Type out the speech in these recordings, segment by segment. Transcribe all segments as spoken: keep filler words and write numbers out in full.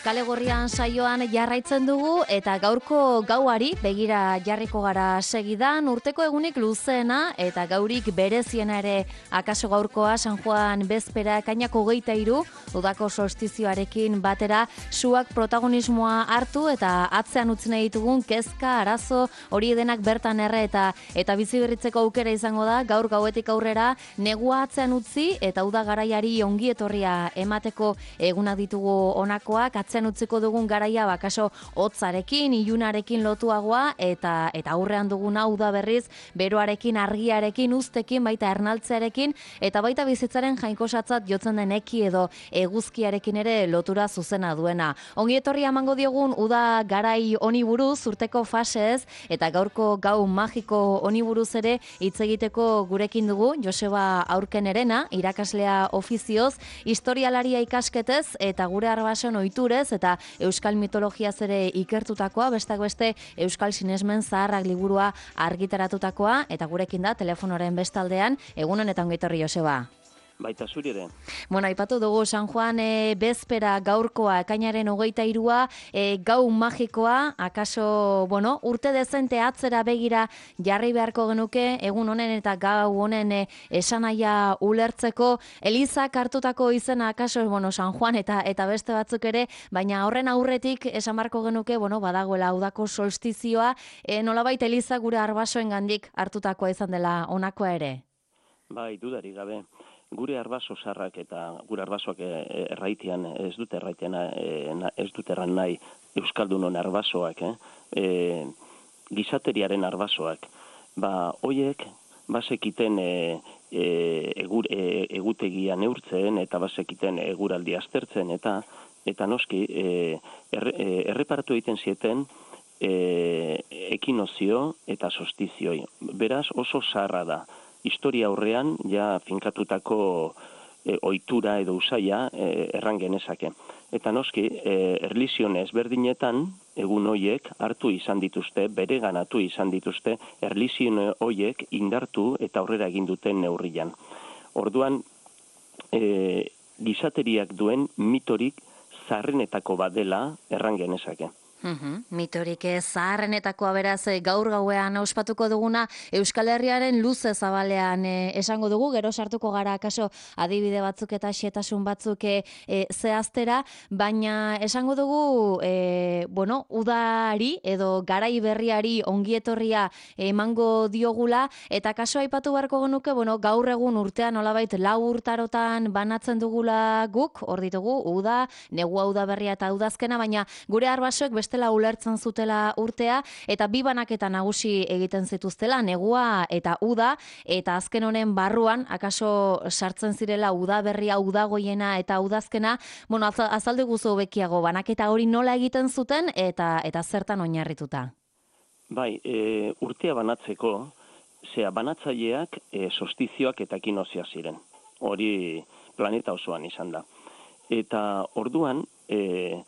Kale Gorrian saioan jarraitzen dugu eta gaurko gauari begira jarriko gara segidan, urteko egunik luzeena eta gaurik bereziena ere akaso gaurkoa San Juan bezpera ekainako hogeita hiru udako solstizioarekin batera suak protagonismoa hartu eta atzean utzi nahi ditugun kezka, arazo, hori denak bertan erre eta eta bizi berritzeko aukera izango da gaur gauetik aurrera negua atzean utzi eta uda garaiari ongi etorria emateko egunak ditugu honakoak, atzean utziko dugun garaia bakaso hotzarekin, ilunarekin lotuagoa eta eta aurrean dugun hau da berriz beroarekin, argiarekin, uztekin, baita ernaltzearekin eta baita bizitzaren jainkosatzat jotzen den eki edo eguzkiarekin ere lotura zuzena duena. Ongi etorria emango diogun uda garai honi buruz, urteko fasez eta gaurko gau magiko honi buruz ere hitz egiteko gurekin dugu Joseba Aurkenerena, irakaslea ofizioz, historialaria ikasketez eta gure arbason ohiturez eta euskal mitologiaz ere ikertutakoa, bestak beste euskal sinesmen zaharrak liburua argitaratutakoa eta gurekin da telefonoren bestaldean. Egunon eta ongi etorri Joseba. Baita zuri ere. Bueno, aipatu dugu San Juan e, bezpera gaurkoa, ekainaren hogeita hirua, e, gau magikoa, akaso, bueno, urte dezente atzera begira jarri beharko genuke, egun honen eta gau honen e, esanaia ulertzeko, Elizak hartutako izena akaso, bueno, San Juan eta eta beste batzuk ere, baina horren aurretik esan beharko genuke, bueno, badagoela udako solstizioa, e, nolabait Eliza gure arbasoen gandik hartutakoa izan dela honakoa ere. Bai, dudari gabe. Gure arbaso sarrak eta gure arbasoak erraitian ez dute erraitian ez dute erran nahi euskaldunon arbasoak, eh? E, gizateriaren arbasoak. Ba, hoiek basekiten e, e, egur, e, egutegia neurtzen eta basekiten eguraldi aztertzen eta eta noski e, er, e, erreparatu egiten zieten e, ekinozio eta solstizioi. Beraz oso zaharra da. Historia aurrean ja finkatutako e, ohitura edo usaia e, erran genezake. Eta noski, e, erlizione ezberdinetan egun hoiek hartu izan dituzte, bereganatu izan dituzte, erlizione hoiek indartu eta aurrera egin duten neurrian. Orduan, e, gizateriak duen mitorik zaharrenetako bat dela erran genezake. Uhum, mitorik zaharrenetakoa beraz gaur gauean ospatuko duguna Euskal Herriaren luze zabalean e, esango dugu, gero sartuko gara akaso adibide batzuk eta xetasun batzuk e, e, zehaztera, baina esango dugu e, bueno, udari edo garai berriari ongietorria emango diogula eta kaso aipatu beharko genuke, bueno, gaur egun urtean nolabait lau urtarotan banatzen dugula guk, hor ditugu uda, negua uda berria eta udazkena, baina gure arbasoek beste bestela ulertzen zutela urtea eta bi banaketa nagusi egiten zituztela, negua eta uda, eta azken honen barruan akaso sartzen zirela uda berria, uda goiena eta udazkena. Bueno, azaldu guzu bekiago banaketa hori nola egiten zuten eta eta zertan oinarrituta. Bai, e, urtea banatzeko, zea banatzaileak e, solstizioak eta ekinozioa ziren. Hori planeta osoan izan da. Eta orduan, e,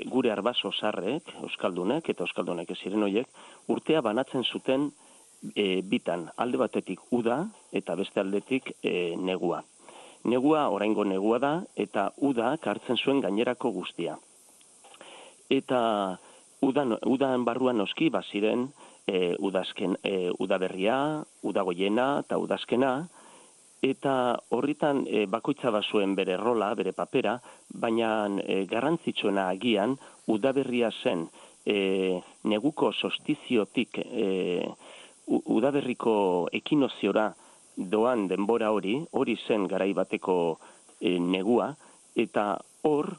gure arbaso sarrek, euskaldunek eta euskaldunek ez ziren horiek, urtea banatzen zuten e, bitan, alde batetik uda eta beste aldetik e, negua. Negua oraingo negua da eta uda hartzen zuen gainerako guztia. Eta udan, udan barruan noski baziren e, udazken, e, udaberria, udagoiena eta udazkena, eta horritan e, bakoitza bazuen bere rola, bere papera, baina e, garrantzitsuena agian udaberria zen e, neguko solstiziotik e, udaberriko ekinoziora doan denbora hori, hori zen garai bateko e, negua, eta hor,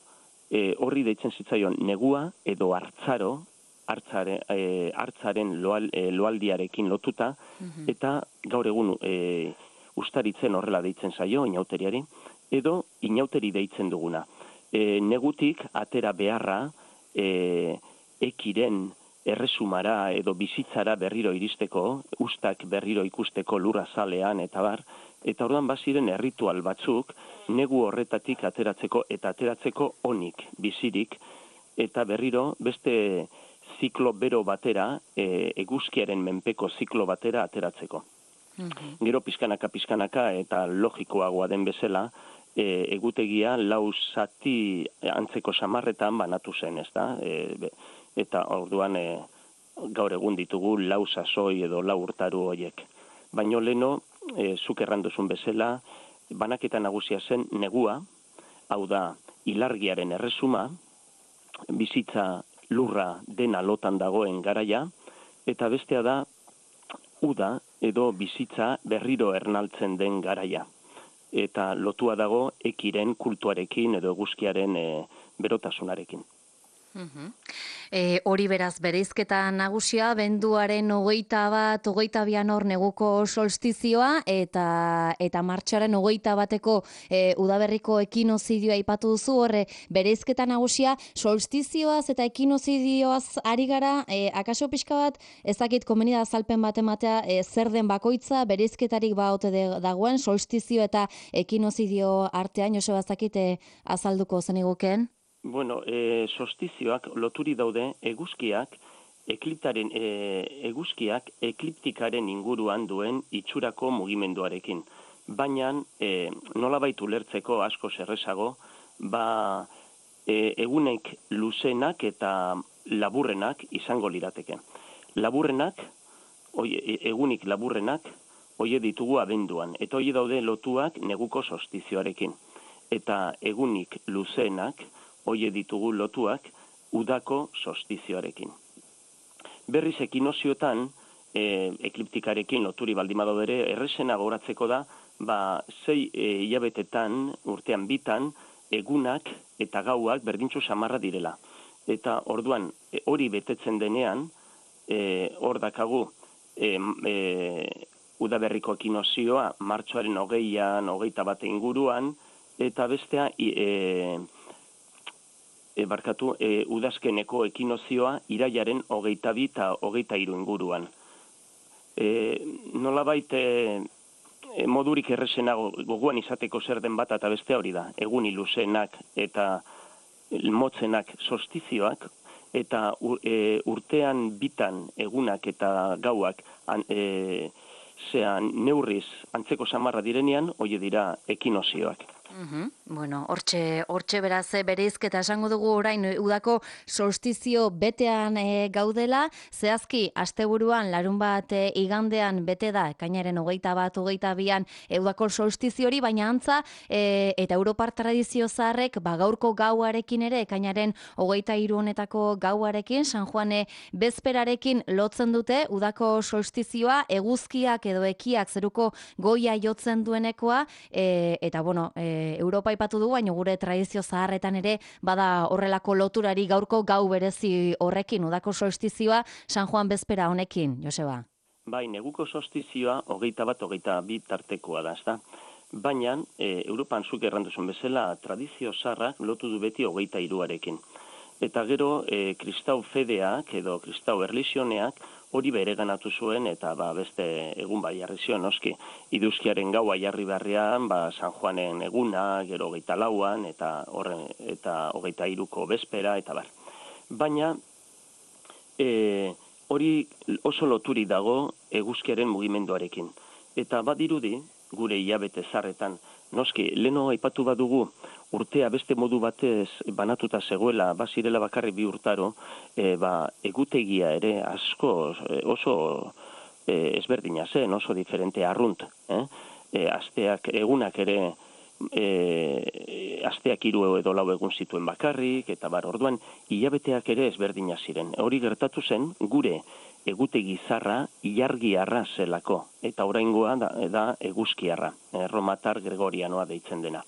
e, horri deitzen zitzaion negua edo hartzaro, hartzaren, e, hartzaren loal, e, loaldiarekin lotuta, mm-hmm. eta gaur egun e, ustaritzen horrela deitzen zaio, inauteriari, edo inauteri deitzen duguna. E, negutik atera beharra, e, ekiren erresumara edo bizitzara berriro iristeko, ustak berriro ikusteko lurra zalean eta bar, eta orduan baziren erritual batzuk, negu horretatik ateratzeko eta ateratzeko onik, bizirik, eta berriro beste ziklo bero batera, e, eguzkiaren menpeko ziklo batera ateratzeko. Gero pizkanaka pizkanaka eta logikoagoa den bezala, e, egutegia lau zati antzeko samarretan banatu zen, ez da? E, eta orduan e, gaur egun ditugu lau sasoi edo lau urtaru hoiek. Baino leno, e, zuk erranduzun bezala, banaketa nagusia zen negua, hau da, ilargiaren erresuma, bizitza lurra dena lotan dagoen garaia, eta bestea da, uda edo bizitza berriro ernaltzen den garaia. Eta lotua dago ekiren kultuarekin edo eguzkiaren e, berotasunarekin. Mhm. E, hori beraz, bereizketa nagusia, benduaren hogeita bat, hogeita bian hor neguko solstizioa, eta eta martxoaren hogeita bateko e, udaberriko ekinozidioa aipatu duzu, horre bereizketa nagusia, solstizioaz eta ekinozidioaz ari gara, e, akaso pixka bat, ezakit komeni da azalpen bat ematea, e, zer den bakoitza, bereizketarik baote dagoen, solstizio eta ekinozidio artean, Joseba, ezakit e, azalduko zeniguken? Bueno, e, solstizioak loturi daude eguzkiak ekliptaren e, eguzkiak ekliptikaren inguruan duen itxurako mugimenduarekin. Baina e, nolabait ulertzeko asko errazago, ba e, egunek luzenak eta laburrenak izango lirateke. Laburrenak, oie, egunik laburrenak, hoie ditugu abenduan, eta hoie daude lotuak neguko solstizioarekin. Eta egunik luzeenak hoie ditugu lotuak udako solstizioarekin. Berriz ekinozioetan, e, ekliptikarekin loturi baldin badaude ere, errezena goratzeko da, ba, zei e, hilabetetan, urtean bitan, egunak eta gauak berdintzu samarra direla. Eta orduan, e, hori betetzen denean, e, hor dakagu, e, e, udaberriko ekinozioa, martxoaren hogeian, hogeita bate inguruan, eta bestea, e, E, barkatu, e, udazkeneko ekinozioa iraiaren hogeita bi eta hogeita hiru inguruan. E, nolabait e, e, modurik errezena goguan izateko zer den bat eta beste hori da. Egun iluzenak eta motzenak solstizioak, eta e, urtean bitan egunak eta gauak an, e, zean neurriz antzeko samarra direnean, hoi dira ekinozioak. Uhum. Bueno, hortxe, hortxe beraz bereizketa esango dugu orain udako solstizio betean e, gaudela, zehazki asteburuan larun bat e, igandean bete da, ekainaren hogeita bat, hogeita bian e, udako solstizio hori, baina antza e, eta Europar tradizio zaharrek ba, gaurko gauarekin ere, ekainaren hogeita hiru honetako gauarekin, San Juane bezperarekin lotzen dute, udako solstizioa, eguzkiak edo ekiak zeruko goia jotzen duenekoa, e, eta bueno, e, Europa ipatu du, baina gure tradizio zaharretan ere bada horrelako loturari gaurko gau berezi horrekin, udako solstizioa San Juan bezpera honekin, Joseba. Bai, neguko solstizioa hogeita bat, hogeita bi tartekoa da, ezta? Baina, e, Europan zuk erranduzun bezala, tradizio zaharrak lotu du beti hogeita hiruarekin. Eta gero, e, kristau fedeak edo kristau erlizioneak hori bere ganatu zuen, eta ba, beste egun bai jarri zion, noski, iduzkiaren gaua jarri beharrean, ba, San Juanen eguna, gero hogeita lauan, eta horren, eta hogeita hiruko bezpera, eta bar. Baina, e, hori oso loturi dago eguzkiaren mugimenduarekin. Eta badirudi, gure hilabete zarretan, noski, leno aipatu badugu, urtea beste modu batez banatuta zegoela, bazirela bakarri bi urtaro, e, ba, egutegia ere asko oso e, ezberdina zen, oso diferente arrunt. Eh? E, asteak, egunak ere, e, asteak hiru edo lau egun zituen bakarrik, eta bar, orduan, hilabeteak ere ezberdina ziren. Hori gertatu zen, gure egutegi zarra ilargiarra zelako, eta oraingoa da, da eguzkiarra, erromatar gregorianoa deitzen dena.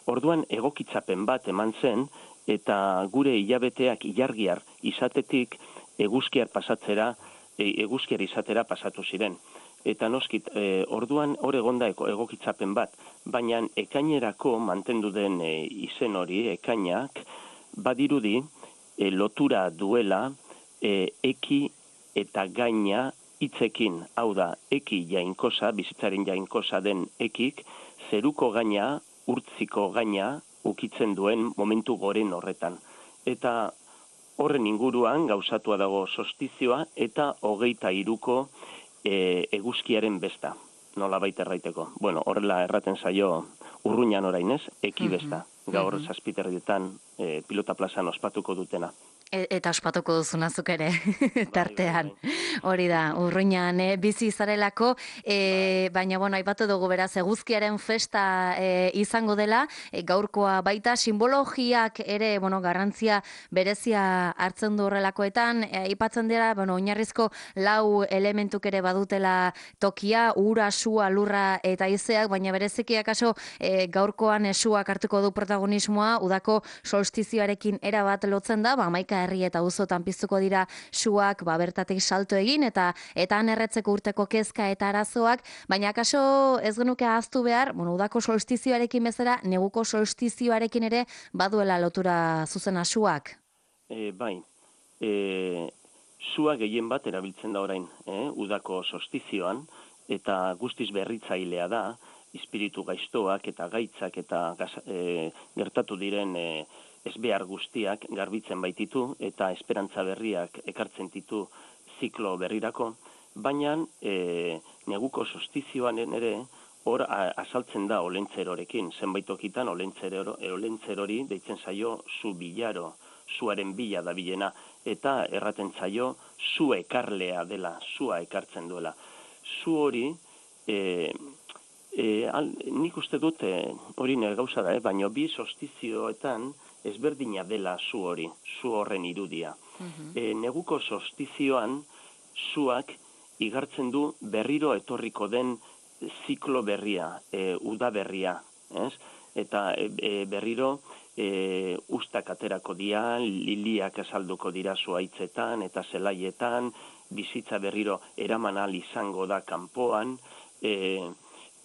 Orduan egokitzapen bat eman zen, eta gure hilabeteak ilargiar izatetik eguzkiar pasatzera, eguzkiar izatera pasatu ziren. Eta noskit, e, orduan hor egonda egokitzapen bat, baina ekainerako mantendu den e, izen hori, ekainak, badirudi e, lotura duela e, eki eta gaina hitzekin, hau da, eki jainkosa, bizitzaren jainkosa den ekik, zeruko gaina, urtziko gaina ukitzen duen momentu goren horretan. Eta horren inguruan gauzatua dago solstizioa eta hogeita hiruko e, eguzkiaren besta, nola baita erraiteko. Bueno, horrela erraten zaio Urruñan orain ez, ekibesta, gaur zazpiterrietan e, pilota plazan ospatuko dutena. E, eta ospatuko duzuna zuk ere, tartean. Hori da, Urruñan e, bizi zarelako, e, baina, bueno, aipatu dugu beraz, eguzkiaren festa e, izango dela, e, gaurkoa baita, simbologiak ere, bueno, garrantzia berezia hartzen du horrelakoetan, e, aipatzen dira, bueno, oinarrizko lau elementuk ere badutela tokia, ura, sua, lurra eta haizeak, baina bereziki akaso e, gaurkoan esuak hartuko du protagonismoa, udako solstizioarekin erabat lotzen da, ba, maika herri eta auzotan piztuko dira suak, ba, bertatik salto egin, eta eta han erretzeko urteko kezka eta arazoak, baina akaso ez genuke ahaztu behar, bueno, udako solstizioarekin bezala, neguko solstizioarekin ere baduela lotura zuzena suak. E, bai, e, sua gehien bat erabiltzen da orain, eh? Udako solstizioan, eta guztiz berritzailea da, espiritu gaiztoak eta gaitzak eta e, gertatu diren e, ezbehar guztiak garbitzen baititu eta esperantza berriak ekartzen ditu ziklo berrirako, baina e, neguko solstizioan ere hor azaltzen da olentzerorekin, zenbait tokitan olentzerori deitzen zaio zu bilaro, zuaren bila da bilena, eta erraten zaio zu ekarlea dela, zua ekartzen duela. Zu hori, e, e, al, nik uste dut hori nire gauza da, eh? Baina bi solstizioetan ezberdina dela zu hori, zu horren irudia. Uh-huh. e, neguko solstizioan zuak igartzen du berriro etorriko den ziklo berria, e, uda berria, ez? Eta e, berriro e, ustak aterako dira, liliak azalduko dira zuaitzetan eta zelaietan, bizitza berriro eraman ahal izango da kanpoan, e,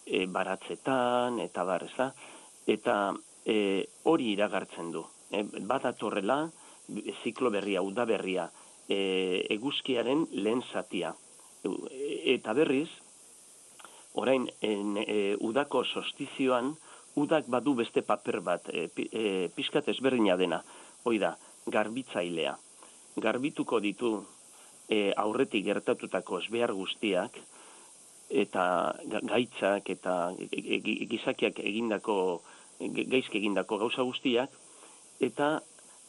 e, baratzetan, eta bar, ez da? Eta e, hori iragartzen du. E, badatorrela, ziklo berria, uda berria, e, eguzkiaren lehen zatia. E, eta berriz, orain, en, e, udako solstizioan, udak badu beste paper bat, e, e, pixkat ezberdina dena. Hoi da, garbitzailea. Garbituko ditu e, aurretik gertatutako ezbehar guztiak, eta gaitzak eta gizakiak egindako, gaizki egindako gauza guztiak, eta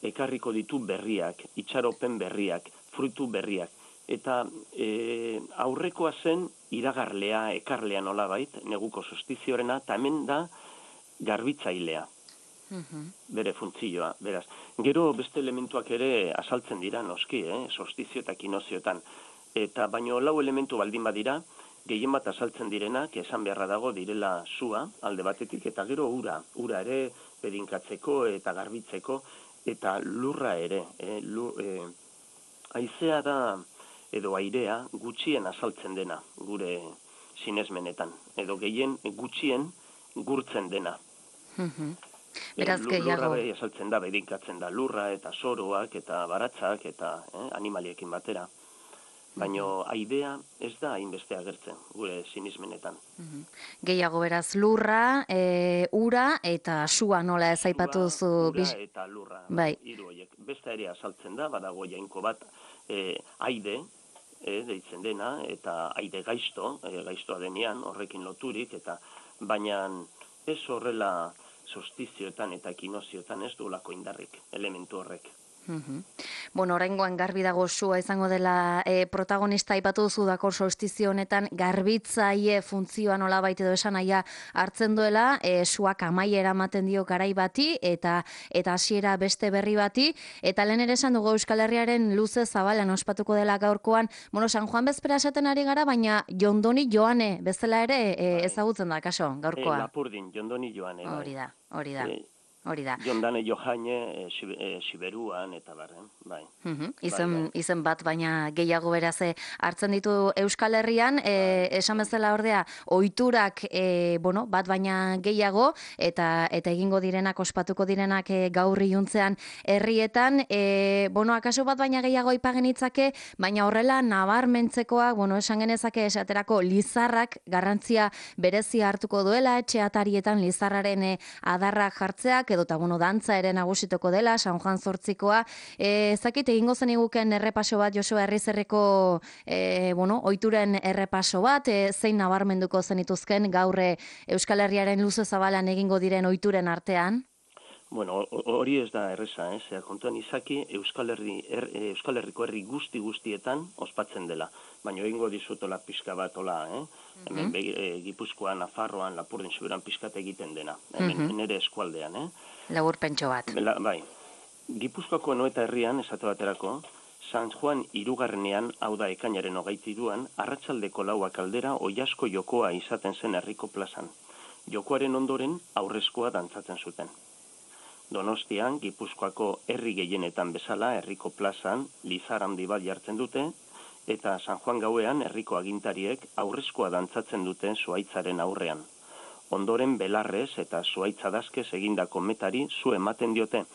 ekarriko ditu berriak, itxaropen berriak, fruitu berriak. Eta e, aurrekoa zen iragarlea, ekarlea nolabait, neguko solstiziorena, eta hemen da garbitzailea, uh-huh. bere funtzioa. Beraz, gero beste elementuak ere azaltzen dira noski, eh? Solstizio eta kinozioetan. Eta baino lau elementu baldin badira, gehien bat azaltzen direnak, esan beharra dago direla sua, alde batetik, eta gero ura, ura ere bedinkatzeko eta garbitzeko, eta lurra ere. Eh? Lur, eh, haizea da, edo airea, gutxien azaltzen dena, gure sinesmenetan. Edo gehien gutxien gurtzen dena. Mm-hmm. Beraz gehiago. Lurra bai azaltzen da, bedinkatzen da, lurra eta soroak eta baratzak eta eh, animaliekin batera. Baina aidea ez da hainbeste agertzen, gure sinismenetan. Mm-hmm. Gehiago beraz lurra, e, ura eta sua nola ez aipatu duzu. Ura eta lurra, bai. Hiru horiek. Beste ere azaltzen da, badago jainko bat, e, aide, e, deitzen dena, eta aide gaizto, e, gaiztoa denean, horrekin loturik, eta baina ez horrela solstizioetan eta kinozioetan ez duelako indarrik, elementu horrek. Mm-hmm. Bueno, oraingoan garbi dago sua izango dela e, protagonista aipatu duzu dako solstizio honetan garbitzaile funtzioa nolabait edo esan nahia hartzen duela, e, suak amaiera ematen dio garai bati eta eta hasiera beste berri bati, eta lehen ere esan dugu Euskal Herriaren luze zabalan ospatuko dela gaurkoan, bueno, San Juan bezpera esaten ari gara, baina Jondoni Joane bezala ere e, ezagutzen da kaso gaurkoa. E, Lapurdin, Jondoni Joane. Bai. Hori da, hori da. E, Hori da. Jondane Johaine, e, Siberuan, eta barren, bai. Uh-huh. Izen, bai, bai. Izen bat, baina gehiago beraz hartzen ditu Euskal Herrian, e, esan bezala ordea, ohiturak e, bueno, bat baina gehiago, eta eta egingo direnak, ospatuko direnak e, gaur iluntzean herrietan, e, bueno, akaso bat baina gehiago aipagen itzake, baina horrela nabarmentzekoak, bueno, esan genezake esaterako lizarrak garrantzia berezia hartuko duela, etxe atarietan lizarraren e, adarrak jartzeak, edota, bueno, dantza ere nagusituko dela, San Juan zortzikoa. E, zakit, egingo zen iguken errepaso bat, Joseba Herrizerreko, e, bueno, oituren errepaso bat, e, zein nabarmenduko zenituzken gaurre Euskal Herriaren luze zabalan egingo diren oituren artean? Bueno, hori ez da erresa, eh? Zera, kontuan izaki Euskal, Herri, er, Euskal Herriko herri guzti guztietan ospatzen dela. Baina egingo dizutola pixka bat, ola, eh? Mm-hmm. Hemen be, e, Gipuzkoan, Nafarroan, Lapurdin, Siberan pixkat egiten dena. Hemen mm-hmm. nere eskualdean, eh? Laburpentxo bat. Bela, bai. Gipuzkoako Anoeta herrian, esate baterako, San Juan hirugarrenean, hau da ekainaren hogeitiruan, arratsaldeko lauak aldera oiasko jokoa izaten zen herriko plazan. Jokoaren ondoren aurrezkoa dantzatzen zuten. Donostian, Gipuzkoako herri gehienetan bezala, herriko plazan, lizar handi bat jartzen dute, eta San Juan gauean herriko agintariek aurrezkoa dantzatzen dute zuhaitzaren aurrean. Ondoren belarrez eta zuhaitza dazkez egindako metari zu ematen diote,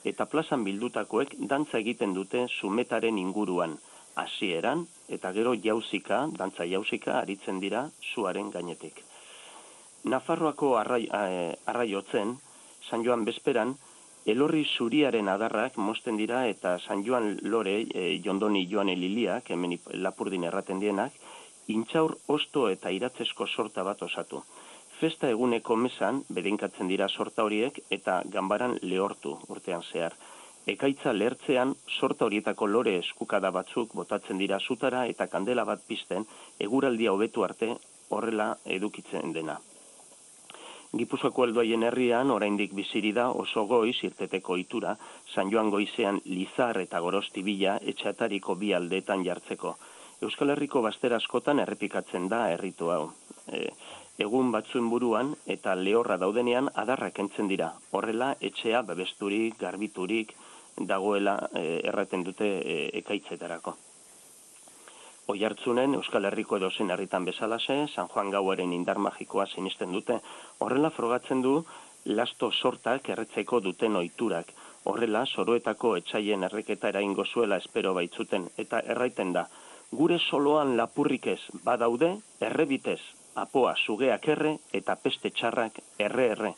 eta plazan bildutakoek dantza egiten dute zumetaren inguruan, hasieran eta gero jauzika, dantza jauzika aritzen dira zuaren gainetik. Nafarroako arrai, eh, arraiotzen, San Joan bezperan, elorri zuriaren adarrak mosten dira eta San Joan lore, e, jondoni joan eliliak, hemen Lapurdin erraten dienak, intxaur osto eta iratzesko sorta bat osatu. Festa eguneko mesan, bedinkatzen dira sorta horiek eta ganbaran lehortu urtean zehar. Ekaitza lehertzean, sorta horietako lore eskukada batzuk botatzen dira zutara eta kandela bat pizten, eguraldia hobetu arte horrela edukitzen dena. Gipuzkoako helduaien herrian, oraindik biziri da oso goiz irteteko ohitura, San Joan goizean lizar eta gorosti bila etxatariko bi aldeetan jartzeko. Euskal Herriko bazter askotan errepikatzen da erritu hau. E, egun batzuen buruan eta lehorra daudenean adarrak kentzen dira. Horrela etxea babesturik, garbiturik dagoela e, erraten dute e, ekaitzetarako. Oihartzunen Euskal Herriko edozein herritan bezalaxe, San Juan gauaren indar magikoa sinisten dute. Horrela frogatzen du lasto sortak erretzeko duten ohiturak. Horrela soroetako etsaien erreketa eraingo zuela espero baitzuten eta erraiten da. Gure soloan lapurrik ez badaude, errebitez, apoa sugeak erre eta peste txarrak erre erre.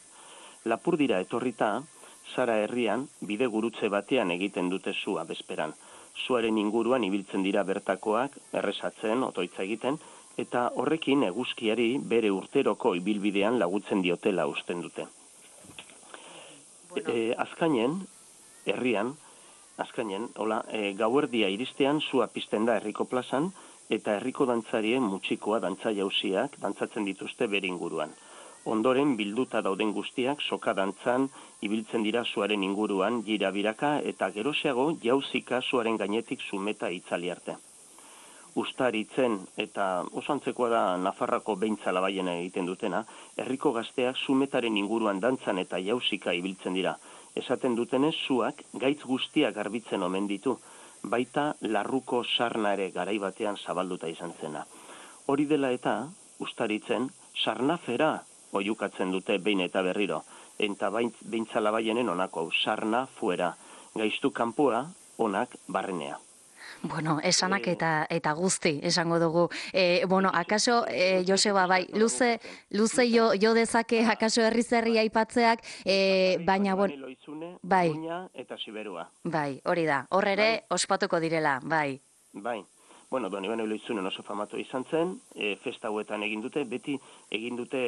Lapurdira etorrita, Zara herrian bide gurutze batean egiten dute zua bezperan. Zuaren inguruan ibiltzen dira bertakoak, errezatzen, otoitza egiten, eta horrekin eguzkiari bere urteroko ibilbidean lagutzen diotela usten dute. Bueno. E, azkainen, herrian, azkainen, hola, e, gauerdia iristean zua pizten da herriko plazan, eta herriko dantzarien mutxikoa dantza jauziak dantzatzen dituzte bere inguruan. Ondoren bilduta dauden guztiak soka dantzan ibiltzen dira zuaren inguruan jira biraka eta geroxeago jauzika zuaren gainetik zumeta itzali arte. Ustaritzen eta oso antzekoa da Nafarrako beintza labaien egiten dutena, herriko gazteak zumetaren inguruan dantzan eta jauzika ibiltzen dira. Esaten dutenez zuak gaitz guztiak garbitzen omen ditu, baita larruko sarna ere garai batean zabalduta izan zena. Hori dela eta, ustaritzen, sarnafera oiukatzen dute behin eta berriro, eta beintza labaienen onako, sarna fuera, gaiztu kanpoa, onak barrenea. Bueno, esanak eta eta guzti esango dugu. Eh, bueno, akaso eh, Joseba bai, luze luze jo jo dezake akaso herri-zerri aipatzeak, eh, baina bueno, bai. Eta Siberua. Bai, hori da. Hor ere ospatuko direla, bai. Bai. Bueno, Don Ibano Loizunen oso famatu izan zen, e, festa hauetan egin dute, beti egin dute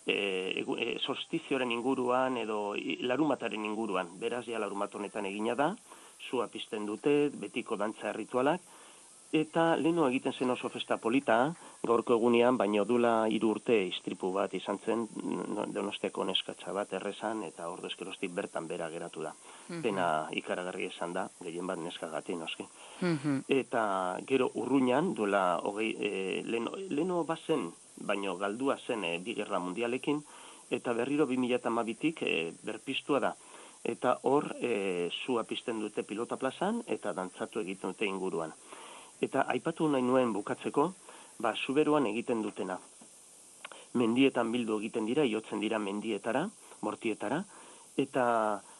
e, e, solstizioaren inguruan edo larumataren inguruan. Beraz, ja larumat honetan egina da, zua pizten dute, betiko dantza ritualak, eta leheno egiten zen oso festa polita, gaurko egunean, baino dula hiru urte istripu bat izan zen, Donostiako neskatxa bat errezan, eta ordu eskerostik bertan bera geratu da. Pena ikaragarri esan da, gehien bat neskagatik noski. Eta gero urruñan, duela hogei, e, leno, leno bazen, baino galdua zen e, bi gerra mundialekin, eta berriro bi mila hamabitik e, berpistua da. Eta hor, e, zua pizten dute pilota plazan, eta dantzatu egiten dute inguruan. Eta aipatu nahi nuen bukatzeko, ba, Zuberoan egiten dutena. Mendietan bildu egiten dira, iotzen dira mendietara, mortietara, eta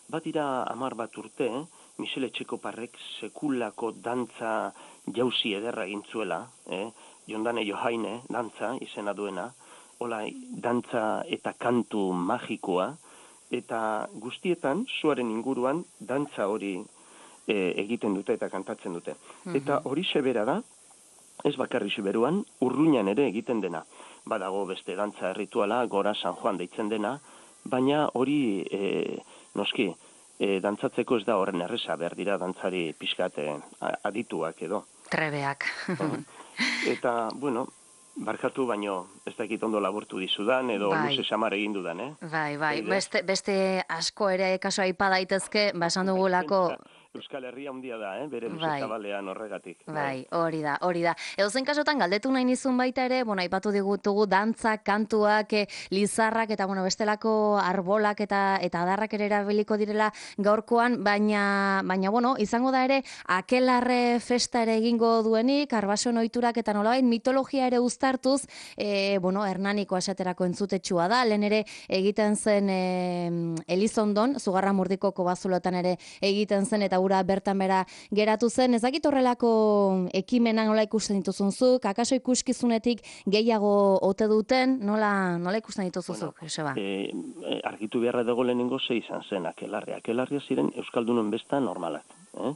bat dira hamar bat urte, eh? Michele Etxekoparrek sekulako dantza jauzi ederra egin zuela, eh? Jondane Johaine, dantza, izena duena, hola, dantza eta kantu magikoa, eta guztietan suaren inguruan dantza hori e, egiten dute eta kantatzen dute. Mm-hmm. Eta hori sebera da, ez bakarri Siberuan, Urruñan ere egiten dena. Badago beste dantza errituala, Gora San Juan deitzen dena, baina hori e, noski, e, dantzatzeko ez da horren erreza, behar dira dantzari pixkate adituak edo. Trebeak. Eta, bueno, barkatu baino ez dakit ondo laburtu dizudan edo bai. Luze samar egin dudan, eh? Bai, bai, beste, beste asko ere kaso aipa daitezke, basan dugulako... Euskal Herria handia da, eh? Bere luze zabalean horregatik. Bai, hori da, hori da. Edozein kasotan galdetu nahi nizun baita ere, bueno, aipatu digutugu dantzak, kantuak, lizarrak eta bueno, bestelako arbolak eta eta adarrak ere erabiliko direla gaurkoan, baina baina bueno, izango da ere akelarre festa ere egingo duenik, arbason ohiturak eta nolabait mitologia ere uztartuz, e, bueno, Hernaniko esaterako entzutetsua da, lehen ere egiten zen e, Elizondon, Zugarramurdiko kobazulotan ere egiten zen eta ura bertan bera geratu zen. Ez dakit horrelako ekimenak nola ikusten dituzunzuk, akaso ikuskizunetik gehiago ote duten, nola, nola ikusten dituzuzuk, bueno, Joseba? E, argitu beharra dago lehenengo ze izan zen akelarria. Akelarria ziren Euskaldunon besta normalak. Eh?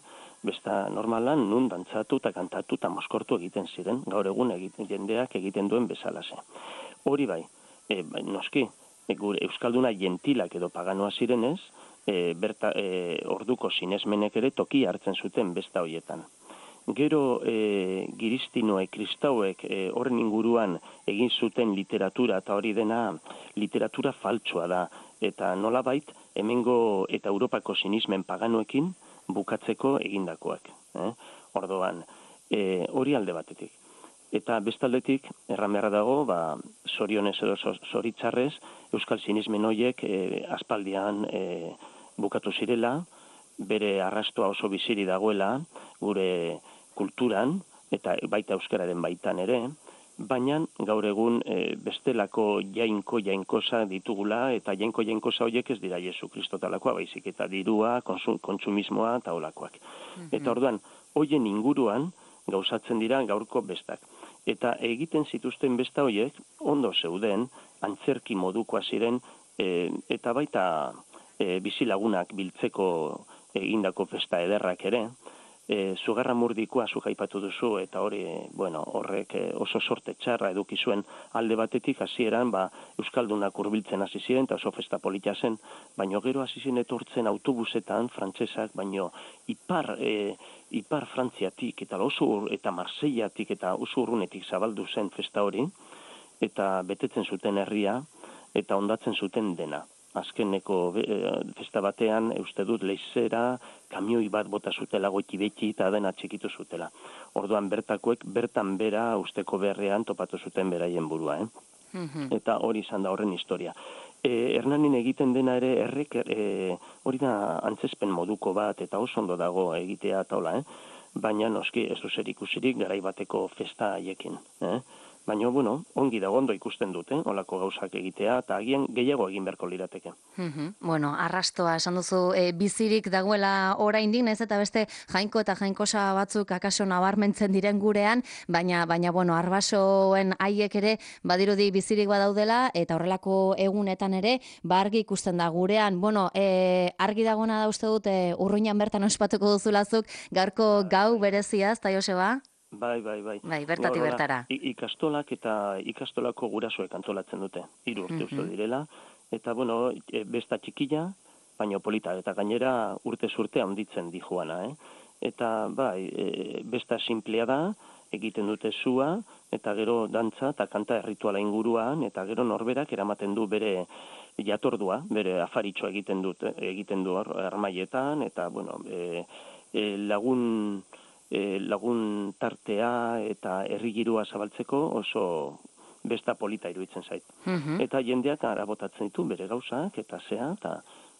Besta normalan nun dantzatu eta kantatu eta moskortu egiten ziren, gaur egun egiten, jendeak egiten duen bezalase. Hori bai, e, bai noski, e, gure Euskalduna jentilak edo paganoa zirenez, E, berta, e, orduko sinesmenek ere toki hartzen zuten besta hoietan. Gero e, giristinoek, kristauek e, horren inguruan egin zuten literatura, eta hori dena literatura faltsua da, eta nolabait hemengo eta Europako sinismen paganoekin bukatzeko egindakoak. Eh? Ordoan, e, hori alde batetik. Eta bestaldetik, erran beharra dago, ba, zorionez edo zoritzarrez, Euskal sinismen horiek e, aspaldian e, bukatu zirela, bere arrastoa oso biziri dagoela, gure kulturan, eta baita euskararen baitan ere, baina gaur egun e, bestelako jainko jainkosa ditugula, eta jainko jainkosa horiek ez dira Jesu Kristo talakoa, baizik eta dirua, konsum, kontsumismoa eta olakoak. Mm-hmm. Eta orduan, hoien inguruan gauzatzen dira gaurko bestak. Eta egiten zituzten besta horiek, ondo zeuden, antzerki modukoa ziren, e, eta baita E, bizilagunak biltzeko egindako festa ederrak ere, e, Zugarramurdikoa zuk aipatu duzu, eta hori, bueno, horrek e, oso sorte txarra eduki zuen alde batetik hasieran ba, Euskaldunak hurbiltzen hasi ziren, eta oso festa polita zen, baino gero hasi ziren etortzen autobusetan, frantsesak, baino ipar, e, ipar Frantziatik, eta oso eta Marseillatik, eta oso urrunetik zabaldu zen festa hori, eta betetzen zuten herria, eta ondatzen zuten dena. Azkeneko festa batean, uste dut, leizera, kamioi bat bota zutela goiti beti eta dena txikitu zutela. Orduan bertakoek, bertan bera usteko beharrean topatu zuten beraien burua. Eh? Mm-hmm. Eta hori izan da horren historia. E, Hernanin egiten dena ere, errek, e, hori da antzespen moduko bat, eta oso ondo dago egitea eta hola, eh? Baina noski ez du zer ikusirik garai bateko festa haiekin. Eh? Baina, bueno, ongi dago ondo ikusten dute, olako gauzak egitea, eta agian gehiago egin beharko lirateke. Mm-hmm. Bueno, arrastoa, esan duzu, e, bizirik dagoela oraindik, naiz eta beste jainko eta jainkosa batzuk akaso nabarmentzen diren gurean, baina, baina bueno, arbasoen haiek ere badirudi bizirik badaudela, eta horrelako egunetan ere, ba argi ikusten da gurean. Bueno, e, argi dagona da uste dut, e, Urruñan bertan ospatuko duzulazuk, gaurko gau berezia, ezta Joseba? Bai, bai, bai. Bai, bertati bertara. Ikastolak eta ikastolako gurasoek antolatzen dute, hiru urte uste direla, eta, bueno, besta txikila, baina polita, eta gainera urte urte handitzen di joana, eh? Eta, bai, e, besta simplea da, egiten dute zua, eta gero dantza eta kanta errituala inguruan, eta gero norberak eramaten du bere jatordua, bere afaritxoa egiten dut, egiten du armaietan, eta, bueno, e, e, lagun... E, lagun tartea eta herrigirua zabaltzeko oso besta polita iruditzen zait. Mm-hmm. Eta jendeak arabotatzen ditu bere gauzak eta zea, eta,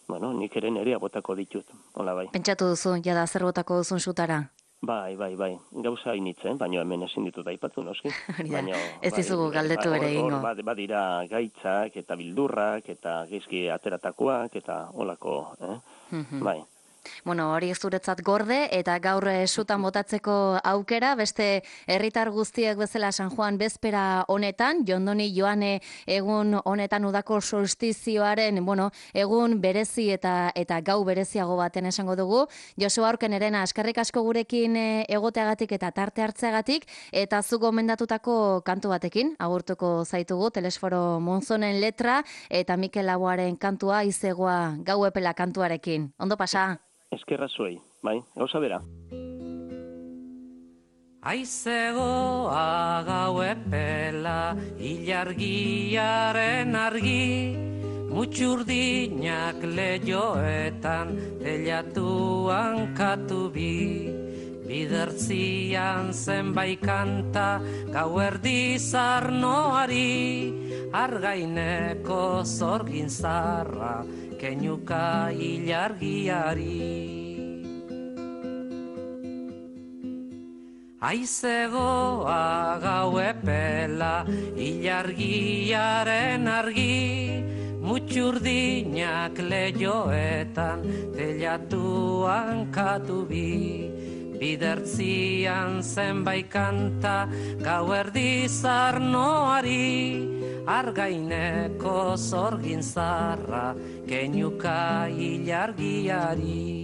bueno, nik ere nere abotako ditut, hola bai. Pentsatu duzu, jada zer botako duzun zutara? Bai, bai, bai, gauza hainitzen, baina hemen ezin ditut aipatu noski. Baina, ez dizugu bai, galdetu ere egingo. Hor badira gaitzak eta bildurrak eta geizki ateratakoak eta holako, eh? Mm-hmm. Bai. Bueno, hori zuretzat gorde eta gaur sutan botatzeko aukera, beste herritar guztiek bezala San Juan bezpera honetan, Jondoni Joane egun honetan udako solstizioaren, bueno, egun berezi eta eta gau bereziago baten esango dugu. Joseba Aurkenarena, eskerrik asko gurekin egoteagatik eta tarte hartzeagatik, eta zu gomendatutako kantu batekin agurtuko zaitugu, Telesforo Monzonen letra eta Mikel Laboaren kantua, Izegoa gau epela kantuarekin. Ondo pasa? Eskerra zuei, bai, gauza bera. Aizegoa gau epela, ilargiaren argi, mutxurdinak lehioetan, telatuan katu bi, bidertzian zenbait kanta, gau erdi zarnoari, argaineko zorgin zarra, keinuka ilargiari. Aizegoa gau epela, ilargiaren argi, mutxurdinak lehioetan, telatuan katu bi, bidertzian zenbait kanta, gau erdi zarnoari, argaineko zorgin zarra, keinuka ilargiari.